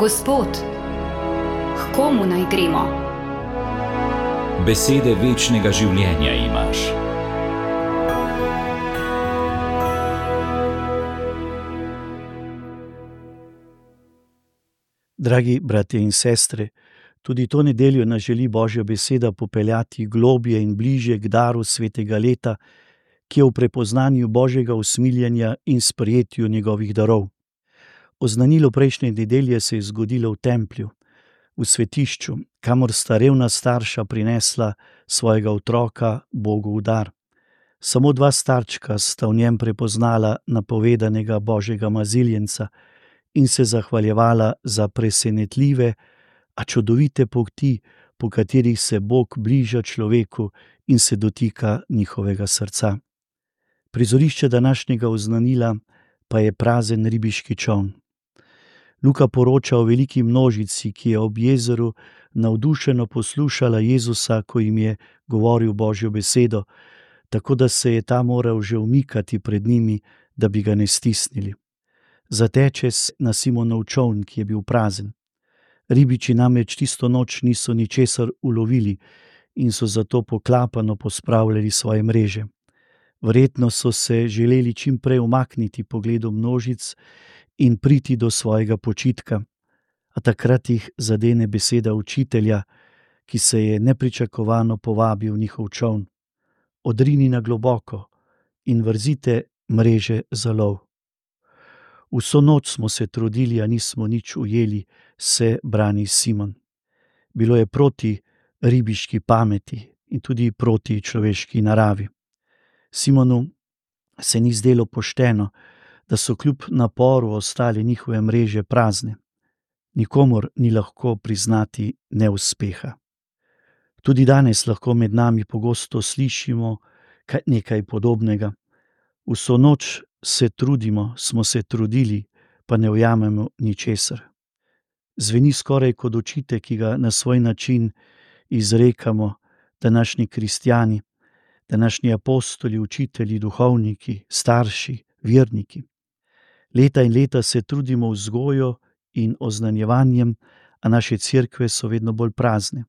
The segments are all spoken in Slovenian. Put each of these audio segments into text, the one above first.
Gospod, h komu naj gremo? Besede večnega življenja imaš. Dragi bratje in sestre, tudi to nedeljo nas želi Božja beseda popeljati globje in bližje k daru svetega leta, ki je v prepoznanju Božjega usmiljenja in sprejetju njegovih darov. Oznanilo prejšnje nedelje se je zgodilo v templju, v svetišču, kamor sta revna starša prinesla svojega otroka Bogu v dar. Samo dva starčka sta v njem prepoznala napovedanega Božjega maziljenca in se zahvaljevala za presenetljive, a čudovite poti, po katerih se Bog bliža človeku in se dotika njihovega srca. Prizorišče današnjega oznanila pa je prazen ribiški čoln. Luka poroča o veliki množici, ki je ob jezeru navdušeno poslušala Jezusa, ko jim je govoril Božjo besedo, tako da se je ta moral že umikati pred njimi, da bi ga ne stisnili. Zateče na Simonov čoln, ki je bil prazen. Ribiči namreč tisto noč niso ničesar ulovili in so zato poklapano pospravljali svoje mreže. Verjetno so se želeli čim prej umakniti pogledu množic in priti do svojega počitka, a takrat jih zadene beseda učitelja, ki se je nepričakovano povabil v njihov čoln. Odrini na globoko in vrzite mreže za lov. Vso noč smo se trudili, a nismo nič ujeli, se brani Simon. Bilo je proti ribiški pameti in tudi proti človeški naravi. Simonu se ni zdelo pošteno, da so kljub naporu ostale njihove mreže prazne. Nikomur ni lahko priznati neuspeha. Tudi danes lahko med nami pogosto slišimo nekaj podobnega. Vso noč se trudimo, smo se trudili, pa ne ujamemo ničesar. Zveni skoraj kot očitek, ki ga na svoj način izrekamo današnji kristjani, današnji apostoli, učitelji, duhovniki, starši, verniki. Leta in leta se trudimo vzgojo in oznanjevanjem, a naše cerkve so vedno bolj prazne.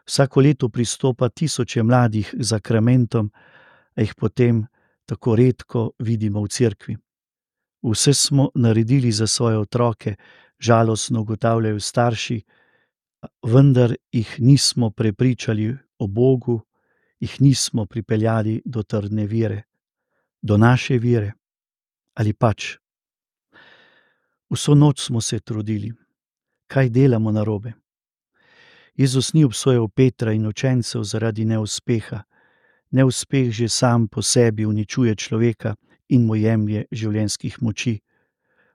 Vsako leto pristopa tisoče mladih k zakramentom, a jih potem tako redko vidimo v cerkvi. Vse smo naredili za svoje otroke, žalostno ugotavljajo starši, vendar jih nismo prepričali o Bogu, jih nismo pripeljali do trdne vere, do naše vere. Ali pač? Vso noč smo se trudili. Kaj delamo narobe? Jezus ni obsojal Petra in učencev zaradi neuspeha. Neuspeh že sam po sebi uničuje človeka in mu jemlje življenjskih moči.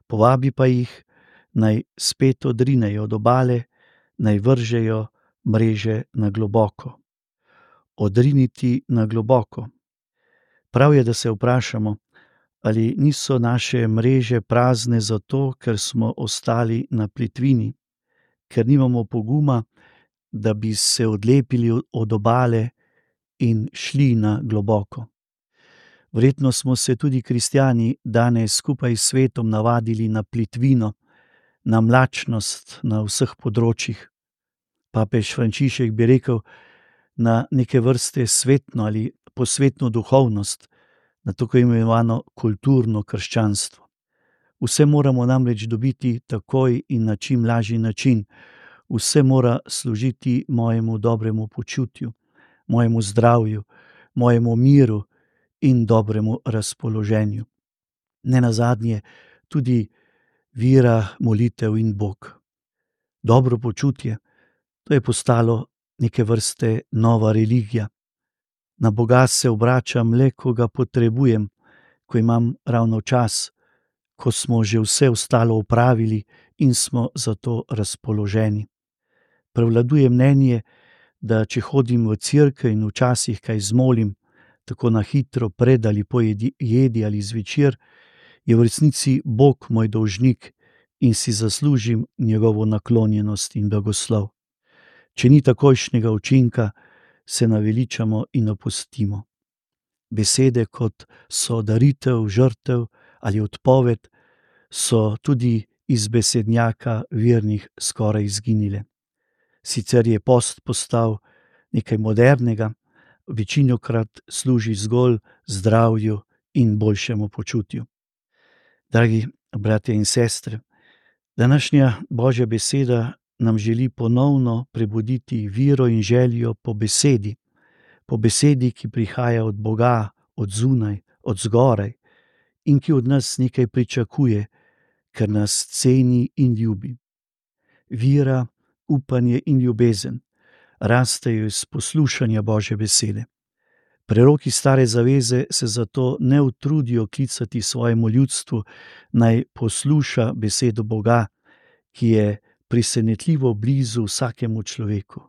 Povabi pa jih, naj spet odrinejo od obale, naj vržejo mreže na globoko. Odriniti na globoko. Prav je, da se vprašamo, ali niso naše mreže prazne zato, ker smo ostali na plitvini, ker nimamo poguma, da bi se odlepili od obale in šli na globoko. Verjetno smo se tudi kristjani danes skupaj s svetom navadili na plitvino, na mlačnost na vseh področjih. Papež Frančišek bi rekel, na neke vrste svetno ali posvetno duhovnost, na tako imenovano kulturno krščanstvo. Vse moramo namreč dobiti takoj in na čim lažji način. Vse mora služiti mojemu dobremu počutju, mojemu zdravju, mojemu miru in dobremu razpoloženju. Nenazadnje tudi vera, molitev in Bog. Dobro počutje, to je postalo neke vrste nova religija. Na Boga se obračam le, ko ga potrebujem, ko imam ravno čas, ko smo že vse ostalo opravili in smo zato razpoloženi. Prevladuje mnenje, da če hodim v cerkev in včasih kaj zmolim, tako na hitro pred ali po jedi ali zvečer, je v resnici Bog moj dolžnik in si zaslužim njegovo naklonjenost in blagoslov. Če ni takojšnjega učinka, se naveličamo in opustimo. Besede, kot so daritev, žrtev ali odpoved, so tudi iz besednjaka vernih skoraj izginile. Sicer je post postal nekaj modernega, večinokrat služi zgolj zdravju in boljšemu počutju. Dragi bratje in sestre, današnja Božja beseda nam želi ponovno prebuditi vero in željo po besedi, ki prihaja od Boga, od zunaj, od zgoraj in ki od nas nekaj pričakuje, ker nas ceni in ljubi. Vera, upanje in ljubezen rastejo iz poslušanja Božje besede. Preroki Stare zaveze se zato ne utrudijo klicati svojemu ljudstvu, naj posluša besedo Boga, ki je presenetljivo blizu vsakemu človeku.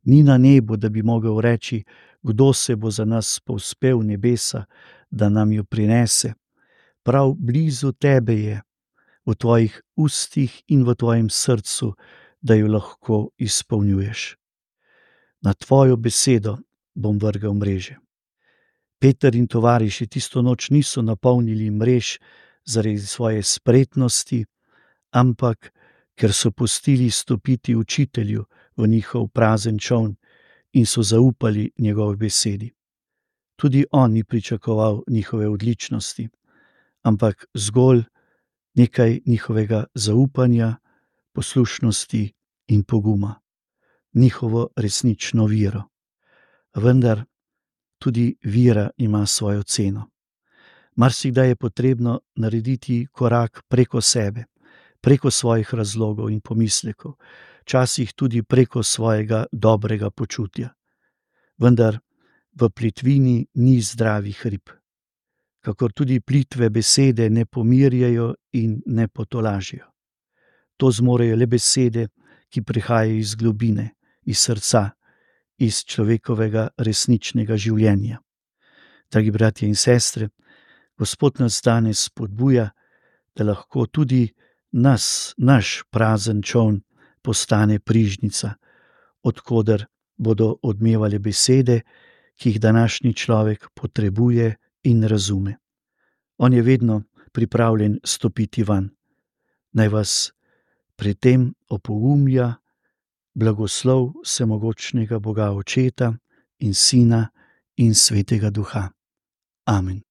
Ni na nebu, da bi mogel reči, kdo se bo za nas povzpel v nebesa, da nam jo prinese. Prav blizu tebe je, v tvojih ustih in v tvojem srcu, da jo lahko izpolnjuješ. Na tvojo besedo bom vrgel mreže. Peter in tovariši tisto noč niso napolnili mrež zaradi svoje spretnosti, ampak ker so pustili stopiti učitelju v njihov prazen čoln in so zaupali njegovi besedi. Tudi on ni pričakoval njihove odličnosti, ampak zgolj nekaj njihovega zaupanja, poslušnosti in poguma, njihovo resnično vero. Vendar tudi vera ima svojo ceno. Marsikdaj je potrebno narediti korak preko sebe, preko svojih razlogov in pomislekov, včasih tudi preko svojega dobrega počutja. Vendar v plitvini ni zdravih rib, kakor tudi plitve besede ne pomirjajo in ne potolažijo. To zmorejo le besede, ki prihajajo iz globine, iz srca, iz človekovega resničnega življenja. Dragi bratje in sestre, Gospod nas danes spodbuja, da lahko tudi naš prazen čoln postane prižnica, od koder bodo odmevale besede, ki jih današnji človek potrebuje in razume. On je vedno pripravljen stopiti van. Naj vas pri tem opogumlja blagoslov vsemogočnega Boga Očeta in Sina in Svetega Duha. Amen.